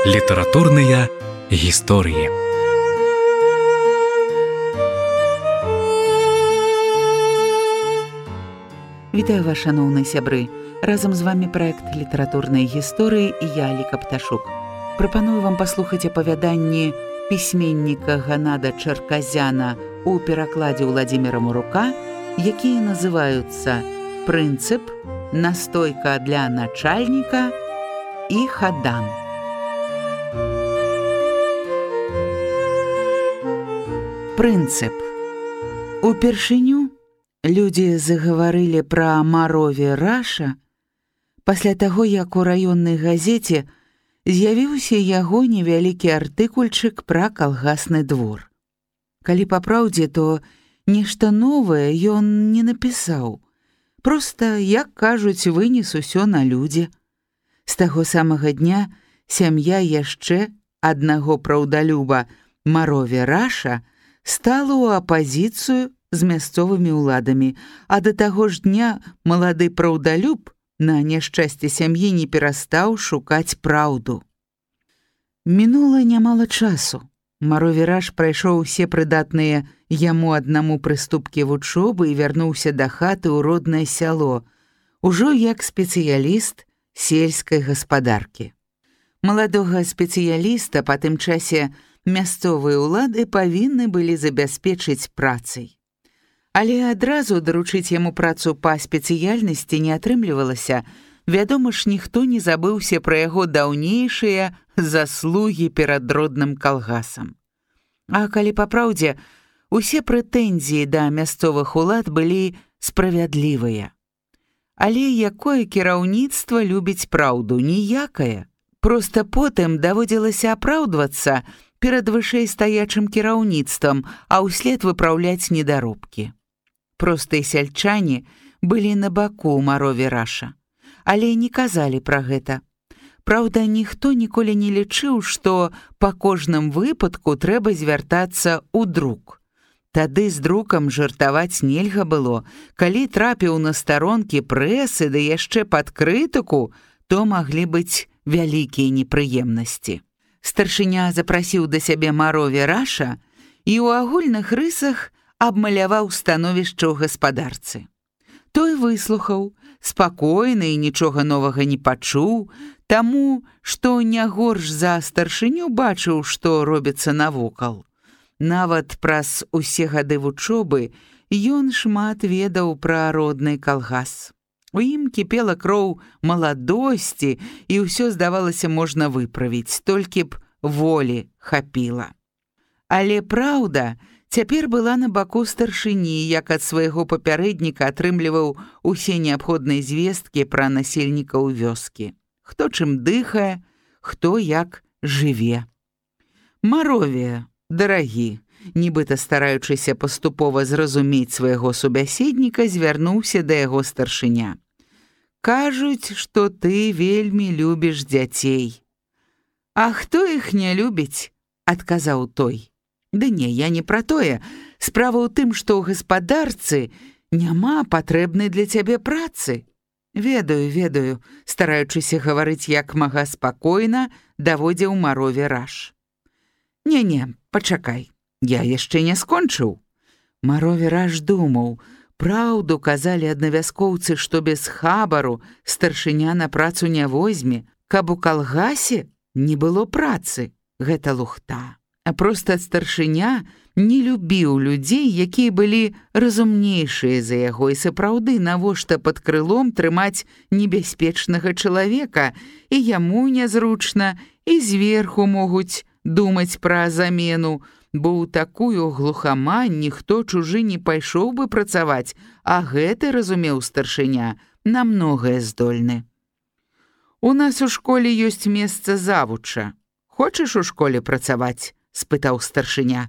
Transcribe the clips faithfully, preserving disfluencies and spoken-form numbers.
Літаратурныя гісторыі. Вітаю вас, шаноўныя сябры. Разам з вами праект літаратурнай гісторыі і я, Аліка Пташук. Прапаную вам паслухаць апавяданні пісьменніка Ганада Чарказяна у перакладзе Уладзіміра Мурука, якія называюцца «Прынцып», «Настойка для начальніка» і «Хадан». Прынцып. Упершыню людзі загаварылі пра Марові Раша пасля таго, як у раённай газеце з'явіўся яго невялікі артыкульчык пра калгасны двор. Калі па праўдзе, то нешта новае ён не напісаў. Проста, як кажуць, вынес усё на людзі. З таго самага дня сям'я яшчэ аднаго праўдалюба Марові Раша стала ў апазіцыю з мясцовымі ўладамі, а да таго ж дня малады праўдалюб на няшчасце сям'і не перастаў шукаць праўду. Мінула нямала часу. Марові Раш прайшоў усе прыдатныя яму аднаму прыступкі вучобы і вярнуўся да хаты ў роднае сяло, ужо як спецыяліст сельскай гаспадаркі. Маладога спецыяліста па тым часе мясцовыя ўлады павінны былі забяспечыць працай. Але адразу даручыць яму працу па спецыяльнасці не атрымлівалася. Вядома ж, ніхто не забыўся пра яго даўнейшыя заслугі перад родным калгасам. А калі па праўдзе, усе прэтэнзіі да мясцовых улад былі справядлівыя. Але якое кіраўніцтва любіць праўду? Ніякае. Проста потым даводзілася апраўдвацца перад вышэйстаячым кіраўніцтвам, а ўслед выпраўляць недаробкі. Простыя сяльчане былі на баку Марові Раша, але не казалі пра гэта. Праўда, ніхто ніколі не лічыў, што па кожным выпадку трэба звяртацца ў друк. Тады з друкам жартаваць нельга было. Калі трапіў на старонкі прэсы, да яшчэ пад крытыку, то маглі быць вялікія непрыемнасці. Старшыня запрасіў да сябе Марові Раша і ў агульных рысах абмаляваў становішча ў гаспадарцы. Той выслухаў, спакойна і нічога новага не пачуў, таму, што не горш за старшыню бачыў, што робіцца навокал. Нават праз усе гады вучобы ён шмат ведаў пра родны калгас. У ім кіпела кроў маладосці, і ўсё, здавалася, можна выправіць, толькі б волі хапіла. Але праўда цяпер была на баку старшыні, як ад свайго папярэдніка атрымліваў усе неабходныя звесткі пра насельнікаў вёскі. Хто чым дыхае, хто як жыве. Марові, дарагі, нібыта стараючыся паступова зразумець свайго субяседніка, звярнуўся да яго старшыня. Кажуць, што ты вельмі любіш дзяцей. А хто іх не любіць? Адказаў той. Ды не, я не пра тое. Справа ў тым, што ў гаспадарцы няма патрэбнай для цябе працы. Ведаю, ведаю, стараючыся гаварыць як мага спакойна, даводзіў Марові Раш. Не-не, пачакай, я яшчэ не скончыў. Марові Раш думаў, праўду казалі аднавяскоўцы, што без хабару старшыня на працу не возьме, каб у калгасе не было працы. Гэта лухта. А проста старшыня не любіў людзей, якія былі разумнейшыя за яго, і сапраўды навошта пад крылом трымаць небяспечнага чалавека, і яму нязручна, і зверху могуць думаць пра замену, бо ў такую глухамань ніхто чужы не пайшоў бы працаваць, а гэты, разумеў старшыня, на многае здольны. У нас у школе ёсць месца завуча. Хочаш у школе працаваць? Спытаў старшыня.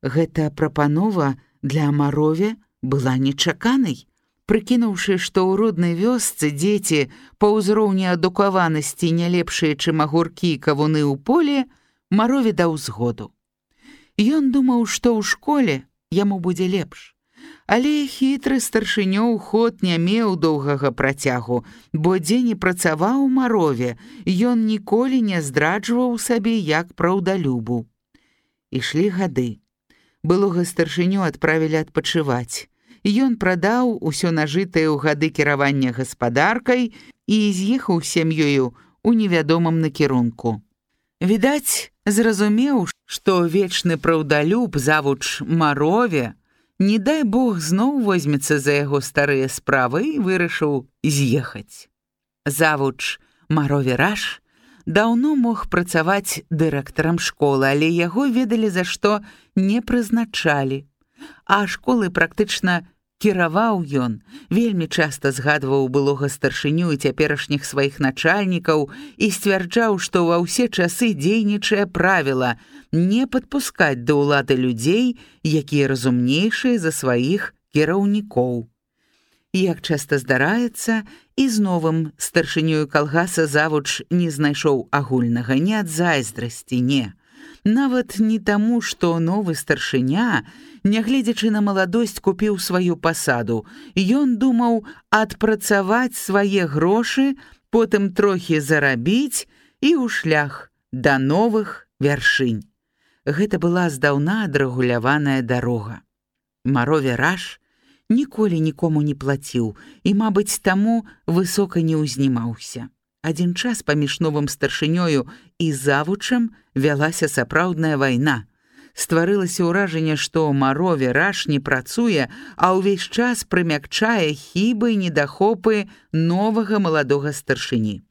Гэта прапанова для Марові была нечаканай. Прыкінуўшы, што ў роднай вёсцы дзеці па ўзроўні адукаванасці не лепшыя, чым агуркі і кавуны ў поле, Марові даў згоду. Ён думаў, што ў школе яму будзе лепш. Але хітры старшынёў ход не меў доўгага працягу, бо дзе не працаваў у Марове, ён ніколі не здраджваў сабе як праўдалюбу. Ішлі гады. Былога старшыню адправілі адпачываць. Ён прадаў усё нажытае ў гады кіравання гаспадаркай і з'ехаў з сям'ёю у невядомым накірунку. Відаць, зразумеў, што вечны праўдалюб завуч Марове, не дай Бог зноў возьмецца за яго старыя справы і вырашыў з'ехаць. Завуч Марове Раш даўно мог працаваць дырэктарам школы, але яго ведалі за што не прызначалі. А школы практычна кіраваў ён, вельмі часта згадваў былога старшыню і цяперашніх сваіх начальнікаў і сцвярджаў, што ва ўсе часы дзейнічае правіла не падпускаць да ўлады людзей, якія разумнейшыя за сваіх кіраўнікоў. Як часта здараецца, і з новым старшынёю калгаса завуч не знайшоў агульнага не ад зайздрасці, не. Нават не таму, што новы старшыня, нягледзячы на маладосць, купіў сваю пасаду. Ён думаў адпрацаваць свае грошы, потым трохі зарабіць і ў шлях да новых вяршынь. Гэта была здаўна адрэгуляваная дарога. Марове Раш ніколі нікому не плаціў і, мабыць, таму высока не ўзнімаўся. Адзін час паміж новым старшынёю і завучам вялася сапраўдная вайна. Стварылася ўражанне, што Марове Раш не працуе, а ўвесь час прымякчае хібы і недахопы новага маладога старшыні.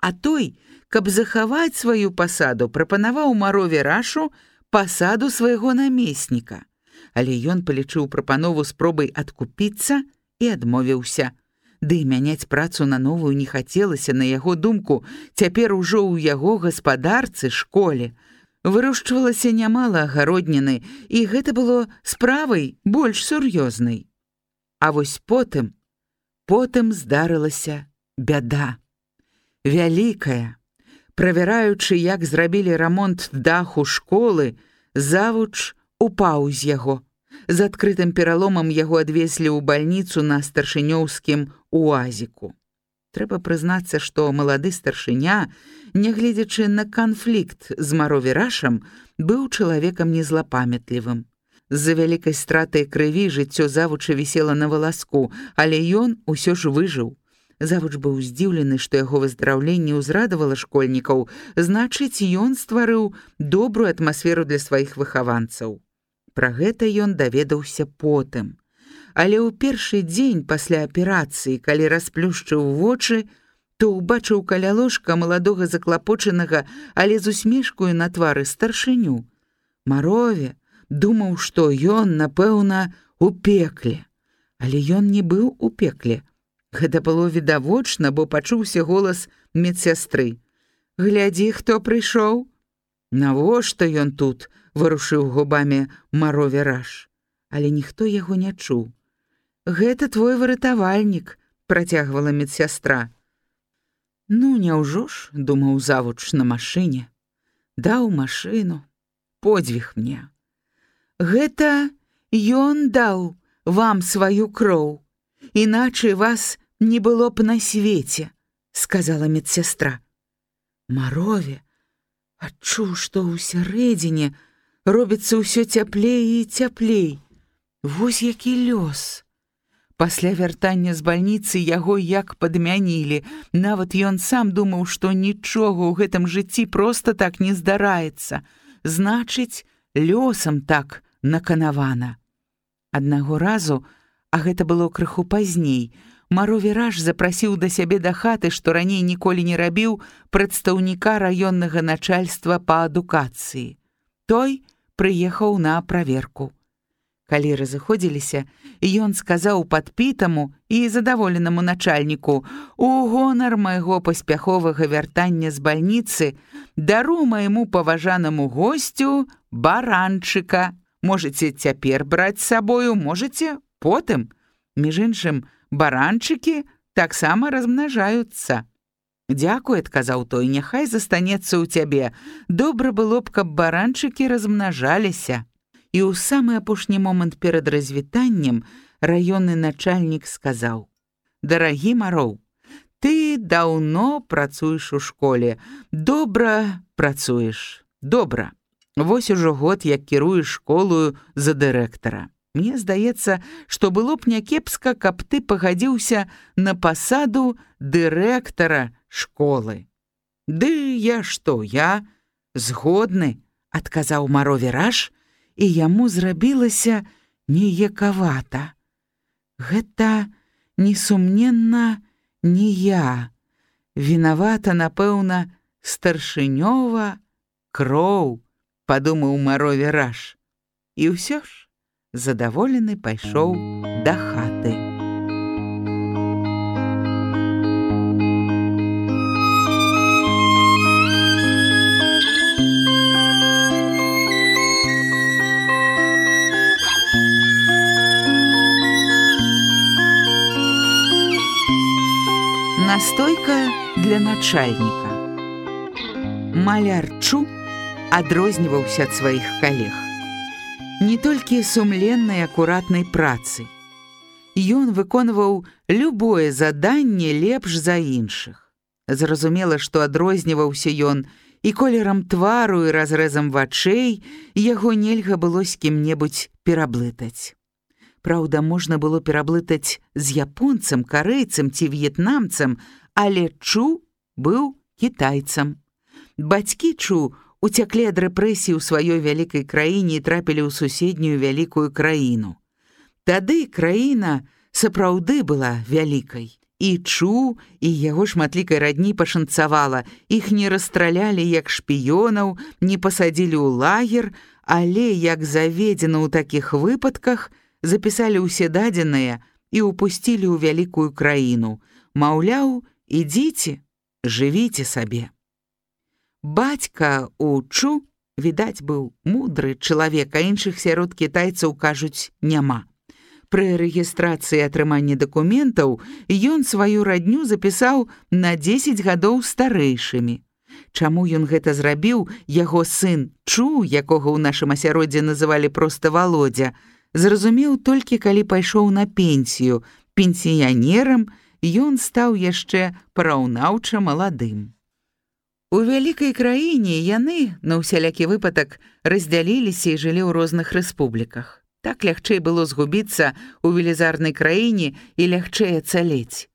А той, каб захаваць сваю пасаду, прапанаваў Марове Рашу пасаду свайго намесніка. Але ён палічыў прапанову спробай адкупіцца і адмовіўся. Ды і мяняць працу на новую не хацелася, на яго думку, цяпер ужо ў яго гаспадарцы, школе. Вырошчвалася нямала агародніны, і гэта было справай больш сур'ёзнай. А вось потым, потым здарылася бяда. Вялікая. Правяраючы, як зрабілі рамонт даху школы, завуч упаў з яго. З адкрытым пераломам яго адвезлі ў бальніцу на старшынёўскім уазіку. Трэба прызнацца, што малады старшыня, нягледзячы на канфлікт з Марове Рашам, быў чалавекам незлапамятлівым. З-за вялікай страты крыві жыццё завуча вісела на валаску, але ён усё ж выжыў. Завуч быў здзіўлены, што яго выздараўленне ўзрадавала школьнікаў, значыць, ён стварыў добрую атмасферу для сваіх выхаванцаў. Пра гэта ён даведаўся потым. Але ў першы дзень пасля аперацыі, калі расплюшчыў вочы, то ўбачыў каля ложка маладога заклапочанага, але з усмешкаю на твары старшыню. Марове думаў, што ён, напэўна, у пекле. Але ён не быў у пекле. Гэта было відавочна, бо пачуўся голас медсястры. «Глядзі, хто прыйшоў!» «Навошта ён тут?» – варушыў губамі Марове Раш. Але ніхто яго не чуў. «Гэта твой выратавальнік», – працягвала медсястра. «Ну, няўжо ж?» – думаў завуч на машыне. «Даў машыну. Подзвіг мне. Гэта ён даў вам сваю кроў. Іначай вас не было б на свеце», – сказала медсястра. Марове адчуў, што ўсярэдзіне робіцца ўсё цяплей і цяплей. Вось які лёс. Пасля вяртання з бальніцы яго як падмянілі. Нават ён сам думаў, што нічога ў гэтым жыцці проста так не здараецца. Значыць, лёсам так наканавана. Аднаго разу, а гэта было крыху пазней, Марове Раш запрасіў да сябе да хаты, што раней ніколі не рабіў, прадстаўніка раённага начальства па адукацыі. Той прыехаў на праверку. Калі разыходзіліся, ён сказаў падпітаму і задаволенаму начальніку: «У гонар майго паспяховага вяртання з бальніцы дару майму паважанаму госцю баранчыка. Можаце цяпер браць з сабою, можаце потым. Між іншым, баранчыкі таксама размнажаюцца». «Дзякуй», – адказаў той, – «няхай застанецца ў цябе. Добра было б, каб баранчыкі размнажаліся». І ў самы апошні момант перад развітаннем раённы начальнік сказаў: «Дарагі Мароў, ты даўно працуеш у школе, добра працуеш, добра. Вось ужо год, як кіруеш школою за дырэктара. Мне здаецца, што было б някепска, каб ты пагадзіўся на пасаду дырэктара школы». «Ды я што, я згодны», — адказаў Марові Раш, і яму зрабілася неякавата. Гэта, несумненна, не я. Вінавата, напэўна, старшынёва кроў, падумаў Марові Раш. І ўсё ж задаволены пайшоў да хаты. Настойка для начальніка. Маляр Чу адрозніваўся ад сваіх калег. Не толькі сумленнай акуратнай працы. Ён выконваў любое заданне лепш за іншых. Зразумела, што адрозніваўся ён і колерам твару, і разрэзам вачэй, яго нельга было з кім-небудзь пераблытаць. Праўда, можна было пераблытаць з японцам, карэйцам ці в'етнамцам, але Чу быў кітайцам. Бацькі Чу уцяклі ад рэпрэсій у сваёй вялікай краіне і трапілі ў суседнюю вялікую краіну. Тады краіна сапраўды была вялікай. І Чу, і яго шматлікай радні пашанцавала. Іх не расстралялі як шпіёнаў, не пасадзілі ў лагер, але, як заведзена ў такіх выпадках, запісалі ўсе дадзеныя і ўпусцілі ў вялікую краіну. Маўляў, ідзіце, жывіце сабе. Бацька у Чу, відаць, быў мудры чалавек, а іншых сярод кітайцаў, кажуць, няма. Пры рэгістрацыі атрымання дакументаў ён сваю радню запісаў на дзесяць гадоў старэйшымі. Чаму ён гэта зрабіў, яго сын Чу, якога ў нашым асяроддзі называлі проста Володя, зразумеў толькі, калі пайшоў на пенсію. Пенсіянерам ён стаў яшчэ параўнаўча маладым. У вялікай краіне яны, на ўсялякі выпадак, раздзяліліся і жылі ў розных рэспубліках. Так лягчэй было згубіцца ў велізарнай краіне і лягчэй ацалець.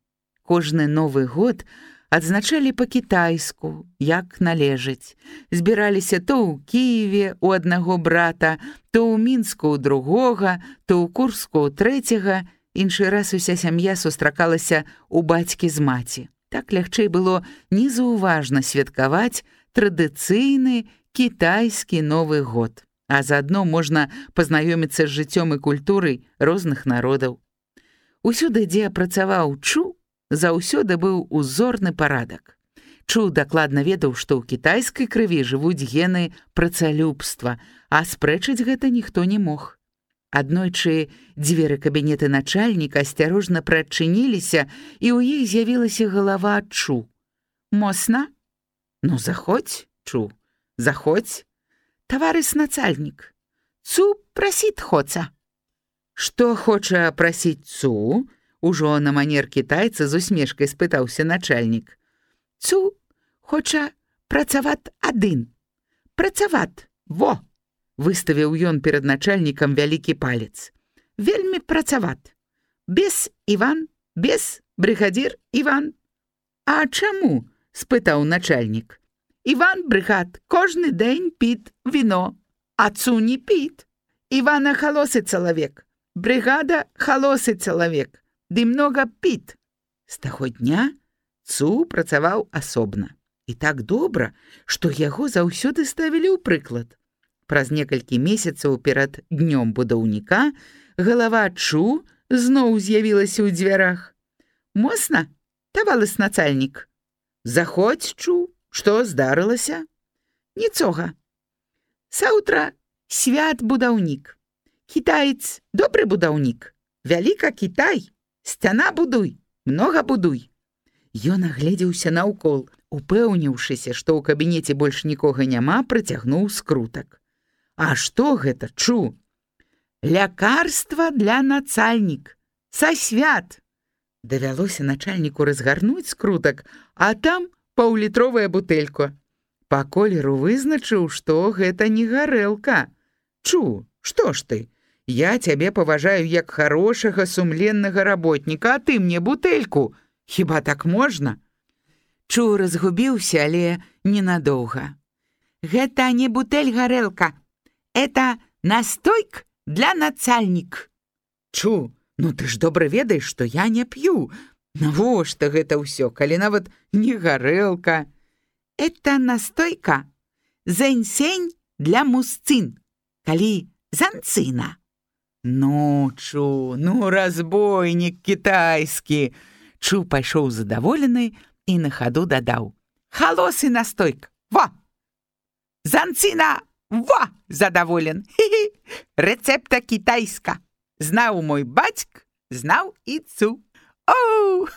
Кожны Новы год адзначалі па-кітайску, як належыць. Збіраліся то ў Кіеве у аднаго брата, то ў Мінску ў другога, то ў Курску ў трэцяга. Іншы раз уся сям'я сустракалася ў бацькі з маці. Так лягчэй было незаўважна святкаваць традыцыйны кітайскі Новы год. А заадно можна пазнаёміцца з жыццём і культурай розных народаў. Усюды, дзе працаваў Чу, заўсёды быў узорны парадак. Чу дакладна ведаў, што ў кітайскай крыві жывуць гены працалюбства, а спрэчыць гэта ніхто не мог. Аднойчы дзверы кабінета начальніка асцярожна прачыніліся, і ў іх з'явілася галава Чу. «Мосна?» «Ну, заходь, Чу, заходь. Таварыш начальнік, Цу прасіць хоца». «Што хоча прасіць Цу?» Ужо на манер кітайца з усмешкай спытаўся начальнік. «Цу хоча працаваць адын. Працаваць, во!» Выставіў ён перад начальнікам вялікі палец. «Вельмі працаваць. Без Іван, без брыгадзір Іван». «А чаму?» – спытаў начальнік. «Іван, брыгад, кожны дзень піт віно, а Цу не піт. Івана халосы чалавек, брыгада халосы чалавек. Ды многа піт». З таго дня Цу працаваў асобна. І так добра, што яго заўсёды ставілі ў прыклад. Праз некалькі месяцаў перад днём будаўніка галава Чу зноў з'явілася ў дзвярах. «Мосна, таварыш начальнік?» «Заходь, Чу, што здарылася?» «Нічога. Саўтра свят будаўнік. Кітаец добры будаўнік. Вяліка Кітай. Сцяна будуй, многа будуй». Ён агледзеўся наўкол, упэўніўшыся, што ў кабінеце больш нікога няма, працягнуў скрутак. «А што гэта, Чу?» Лякарства для нацальнік. Са свят. Давялося начальніку разгарнуць скрутак, а там паўлітровая бутэлька. Па колеру вызначыў, што гэта не гарэлка. Чу, што ж ты? Я цябе паважаю як хорошага сумленнага работніка, а ты мне бутэльку. Хіба так можна? Чу разгубіўся, але ненадоўга. Гэта не бутэль гарэлка. Это настойк для нацальнік. Чу, ну ты ж добра ведаеш, што я не п'ю. Навошта гэта ўсё, калі нават не гарэлка? Это настойка зэньсень для мужчын, калі занцына. Ну, Чу, ну разбойнік кітайскі. Чу пайшоў задаволены і на хаду дадаў. Халосы настойка, во! Занцына, во! Задаволен. Хі-хі. Рецепта кітайска. Знаў мой бацьк, знаў і Цу. Оу!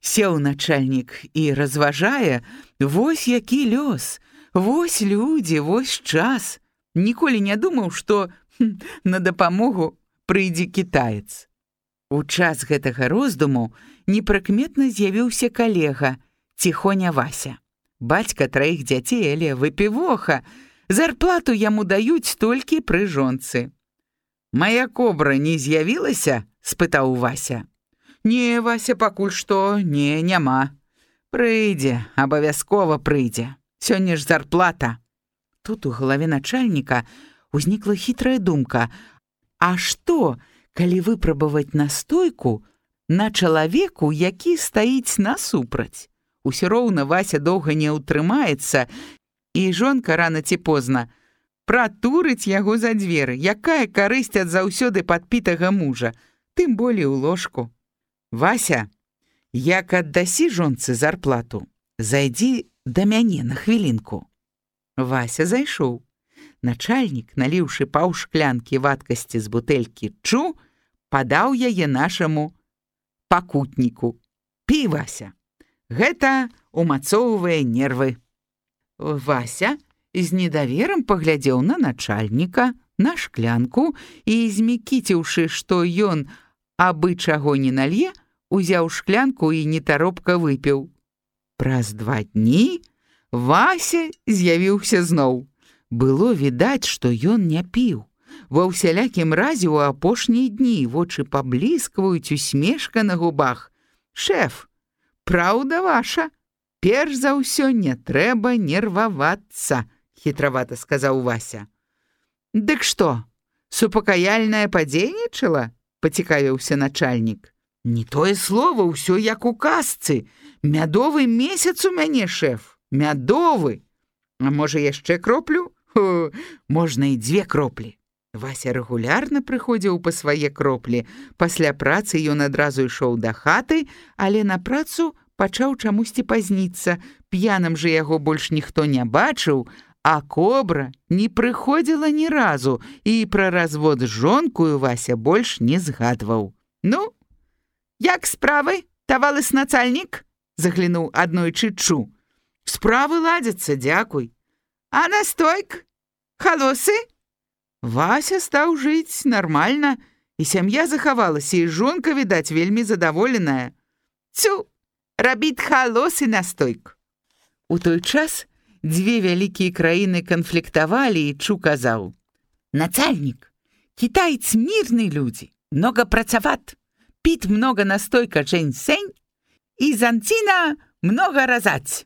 Сеў начальнік і разважае, вось які лёс, вось людзі, вось час. Ніколі не думаў, што хм, на дапамогу прыйдзе кітаец. У час гэтага роздуму непрыкметна з'явіўся калега, ціхоня Вася. Бацька траіх дзяцей, але выпівоха. Зарплату яму даюць толькі пры жонцы. «Мая кобра не з'явілася?» – спытаў Вася. «Не, Вася, пакуль што, не, няма. Прыйдзе, абавязкова прыйдзе. Сёння ж зарплата». Тут у галаве начальніка узнікла хітрая думка. А што, калі выпрабаваць настойку на чалавеку, які стаіць насупраць? Усё роўна Вася доўга не ўтрымаецца, і жонка рана ці позна пратурыць яго за дзверы. Якая карысць ад заўсёды падпітага мужа, тым болей у ложку. «Вася, як аддасі жонцы зарплату, зайдзі да мяне на хвілінку». Вася зайшоў. Начальнік, наліўшы паўшклянкі вадкасці з бутэлькі Чу, падаў яе нашаму пакутніку. «Пі, Вася, гэта умацоўвае нервы». Вася з недаверам паглядзеў на начальніка, на шклянку і, змікіціўшы, што ён абы чаго не налье, узяў шклянку і нетаропка выпіў. Праз два дні Вася з'явіўся зноў. Было відаць, што ён не піў. Ва ўсялякім разе ў апошнія дні вочы пабліскваюць, усмешка на губах. «Шэф, праўда ваша? Перш за ўсё не трэба нервавацца», – хітравата сказаў Вася. «Дык што, супакаяльнае падзейнічала?» – пацікавіўся начальнік. «Не тое слова, ўсё як у казцы. Мядовы месяц у мяне, шэф, мядовы. А можа яшчэ кроплю? О, можна і дзве кроплі». Вася рэгулярна прыходзіў па свае кроплі. Пасля працы ён адразу ішоў да хаты, але на працу пачаў чамусьці пазніцца. П'яным жа яго больш ніхто не бачыў, а кобра не прыходзіла ні разу, і пра развод з жонкою Вася больш не згадваў. «Ну, як справы, тавалыс нацальнік?» – заглянуў аднойчы Чу. «Справы ладзяцца, дзякуй. А настойк? Халосы?» Вася стаў жыць нармальна, і сям'я захавалася, і жонка, відаць, вельмі задаволеная. «Цю, рабіць халосы настойк». У той час дзве вялікія краіны канфліктавалі, і Чу казаў: «Нацальнік, кітаец мірны людзі, много працават, піт много настойка джэньсэнь, і занціна много разаць.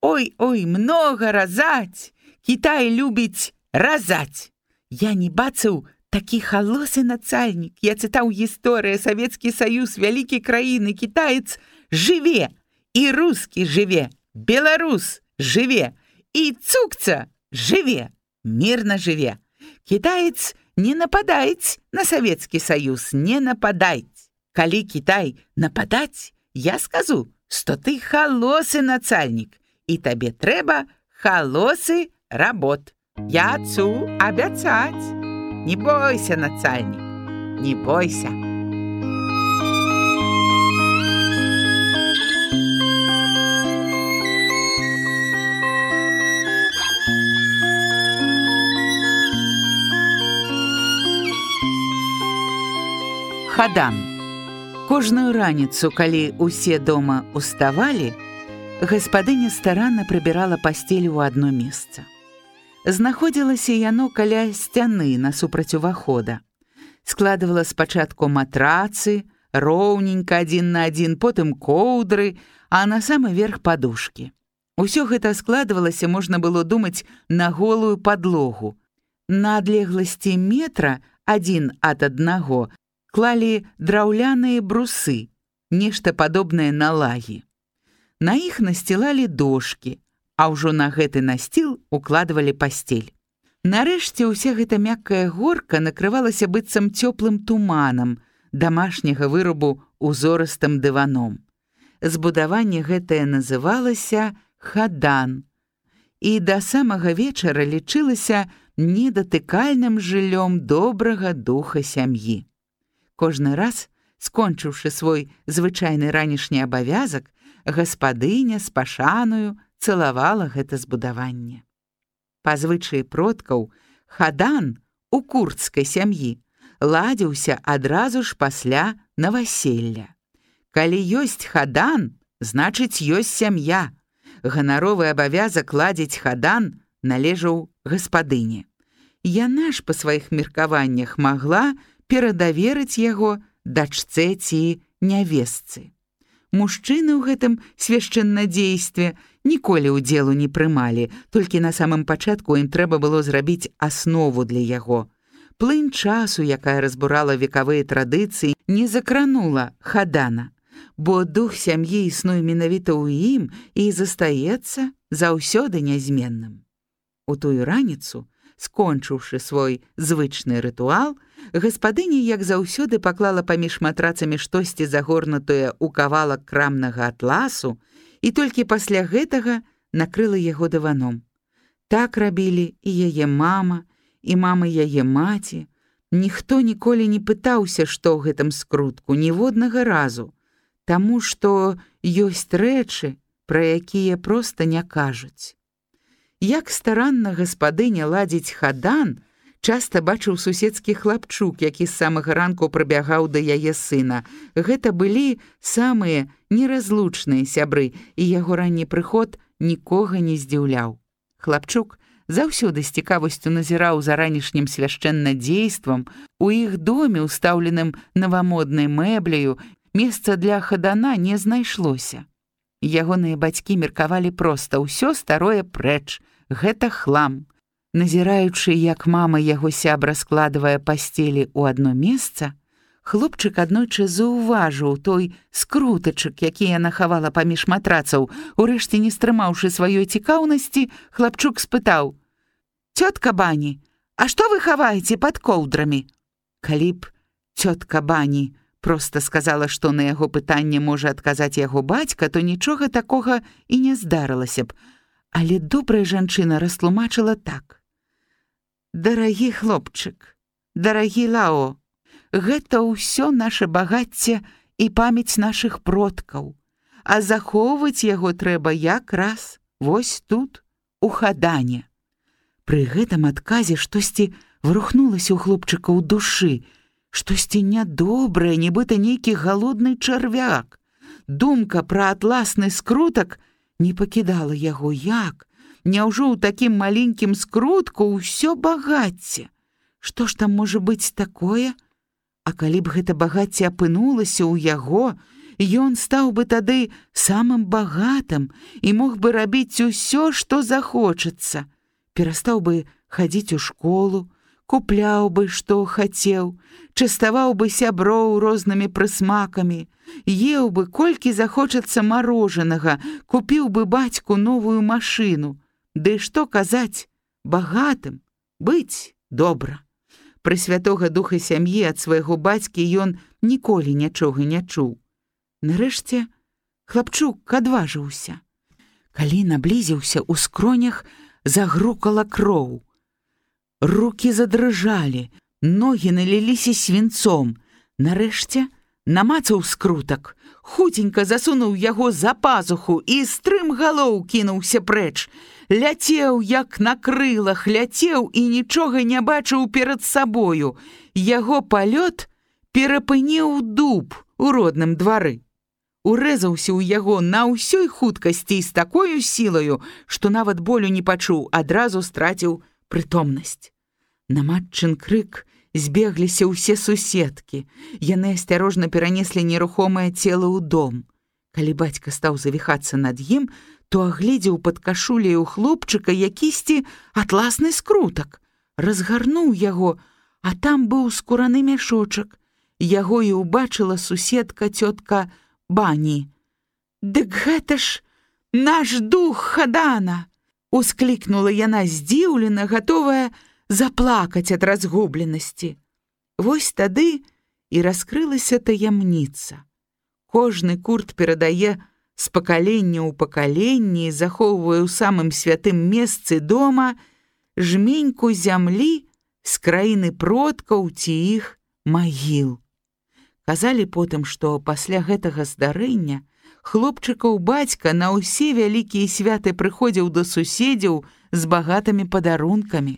Ой, ой, много разаць, Кітай любіць разаць. Я не бачыў такі халосы нацальнік. Я чытаў гісторыя, Савецкі Саюз, вялікі краіны, кітаец жыве, і рускі жыве, беларус жыве, і цукца жыве, мірна жыве. Кітаец не нападаюць на Савецкі Саюз, не нападаюць. Калі Кітай нападаць, я скажу, што ты халосы нацальнік, і табе трэба халосы работ. Я цу абяцаць. Не бойся, нацальнік, не бойся». Хадан. Кожную раніцу, калі ўсе дома уставалі, гаспадыня старанна прыбірала пасцель у адно месца. Знаходзілася яно каля сцяны насупраць увахода. Складывала спачатку матрацы, роўненька адзін на адзін, потым коўдры, а на самы верх падушкі. Усё гэта складвалася, можна было думаць, на голую падлогу. На адлегласці метра адзін ад аднаго клалі драўляныя брусы, нешта падобнае на лагі. На іх насцілалі дошкі, а ўжо на гэты насціл укладвалі пасцель. Нарэшце ўся гэта мяккая горка накрывалася быццам цёплым туманам, дамашняга вырабу узорыстым дываном. Збудаванне гэтае называлася хадан, і да самага вечара лічылася недатыкальным жыллём добрага духа сям'і. Кожны раз, скончыўшы свой звычайны ранішні абавязак, гаспадыня з пашаною цалавала гэта збудаванне. Па звычаі продкаў, хадан у курдскай сям'і ладзіўся адразу ж пасля наваселля. Калі ёсць хадан, значыць ёсць сям'я. Ганаровы абавязак ладзіць хадан належаў гаспадыне. Яна ж па сваіх меркаваннях магла перадаверыць яго дачцэ ці нявестцы. Мужчыны ў гэтым свяшчэннадзействе ніколі ўдзелу не прымалі, толькі на самым пачатку ім трэба было зрабіць аснову для яго. Плынь часу, якая разбурала векавыя традыцыі, не закранула хадана, бо дух сям'і існуе менавіта ў ім і застаецца заўсёды нязменным. У тую раніцу, скончыўшы свой звычны рытуал, гаспадыня, як заўсёды, паклала паміж матрацамі штосьці загорнутае ў кавалак крамнага атласу і толькі пасля гэтага накрыла яго дываном. Так рабілі і яе мама, і мама яе маці. Ніхто ніколі не пытаўся, што ў гэтым скрутку, ніводнага разу, таму што ёсць рэчы, пра якія проста не кажуць. Як старанна гаспадыня ладзіць хадан, часта бачыў суседскі хлапчук, які з самага ранку прыбягаў да яе сына. Гэта былі самыя неразлучныя сябры, і яго ранні прыход нікога не здзіўляў. Хлапчук заўсёды з цікавасцю назіраў за ранішнім свяшчэннадзействам. У іх доме, устаўленым навамоднай мэбляю, месца для хадана не знайшлося. Ягоныя бацькі меркавалі проста: ўсё старое прэч, гэта хлам. Назіраючы, як мама яго сябра складвае пасцелі ў адно месца, хлопчык аднойчы заўважыў той скрутачак, які яна хавала паміж матрацаў. Урэшце, не стрымаўшы сваёй цікаўнасці, хлапчук спытаў: «Цётка Бані, а што вы хаваеце пад коўдрамі?» Калі б цётка Бані проста сказала, што на яго пытанне можа адказаць яго бацька, то нічога такога і не здарылася б. Але добрая жанчына растлумачыла так: «Дарагі хлопчык, дарагі Лао, гэта ўсё наша багацце і памяць нашых продкаў, а захоўваць яго трэба якраз вось тут, у хадане». Пры гэтым адказе штосьці врухнулася ў хлопчыка ў душы, штосьці нядобрае, нібыта нейкі галодны чарвяк. Думка пра атласны скрутак не пакідала яго. Як? Няўжо ў такім маленькім скрутку ўсё багацце? Што ж там можа быць такое? А калі б гэта багацце апынулася ў яго, ён стаў бы тады самым багатым і мог бы рабіць усё, што захочацца. Перастаў бы хадзіць у школу, купляў бы, што хацеў, частаваў бы сяброў рознымі прысмакамі, еў бы, колькі захочацца марожанага, купіў бы бацьку новую машыну. Ды што казаць, багатым быць добра. Пры святога духа сям'і ад свайго бацькі ён ніколі нічога не чуў. Нарэшце хлапчук адважыўся. Калі наблізіўся, у скронях загрукала кроў. Рукі задрыжалі, ногі наліліся свінцом. Нарэшце намацаў скрутак, хуценька засунуў яго за пазуху і стрымгалоў кінуўся прэч. Ляцеў, як на крылах, ляцеў і нічога не бачыў перад сабою. Яго палёт перапыніў дуб у родным двары. Урэзаўся ў яго на ўсёй хуткасці і з такою сілаю, што нават болю не пачуў, адразу страціў прытомнасць. На матчын крык збегліся ўсе суседкі. Яны асцярожна перанеслі нерухомае цела ў дом. Калі бацька стаў завіхацца над ім, то агледзеў пад кашуляю хлопчыка якісьці атласны скрутак. Разгарнуў яго, а там быў скураны мяшочак. Яго і ўбачыла суседка цётка Бані. «Дык гэта ж наш дух Хадана!» — усклікнула яна здзіўлена, гатовая заплакаць ад разгубленасці. Вось тады і раскрылася таямніца. Кожны курт перадае з пакалення ў пакаленні, захоўвае ў самым святым месцы дома жменьку зямлі з краіны продкаў ці іх магіл. Казалі потым, што пасля гэтага здарэння хлопчыкаў бацька на ўсе вялікія святы прыходзіў да суседзяў з багатымі падарункамі.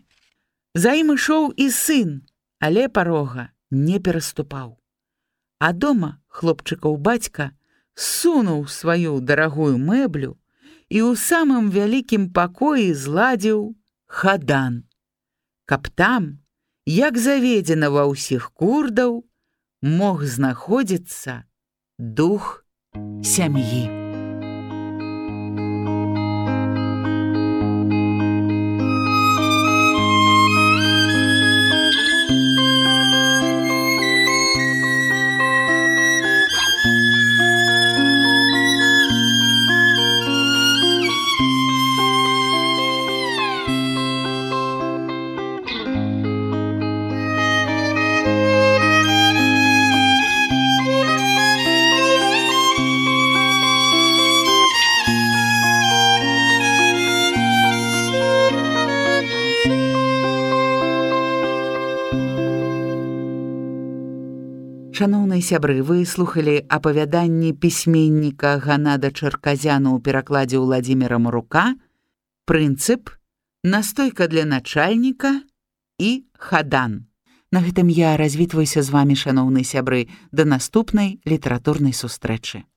За ім ішоў і сын, але парога не пераступаў. А дома хлопчыкаў бацька сунуў сваю дарагую мэблю і ў самым вялікім пакоі зладзіў хадан, каб там, як заведзена ва ўсіх курдаў, мог знаходзіцца дух сям'і. Шаноўныя сябры, вы слухалі апавяданні пісьменніка Ганада Чарказяна ў перакладзе Ўладзіміра Марука «Прынцып», «Настойка для начальніка» і «Хадан». На гэтым я развітваюся з вамі, шаноўныя сябры, да наступнай літаратурнай сустрэчы.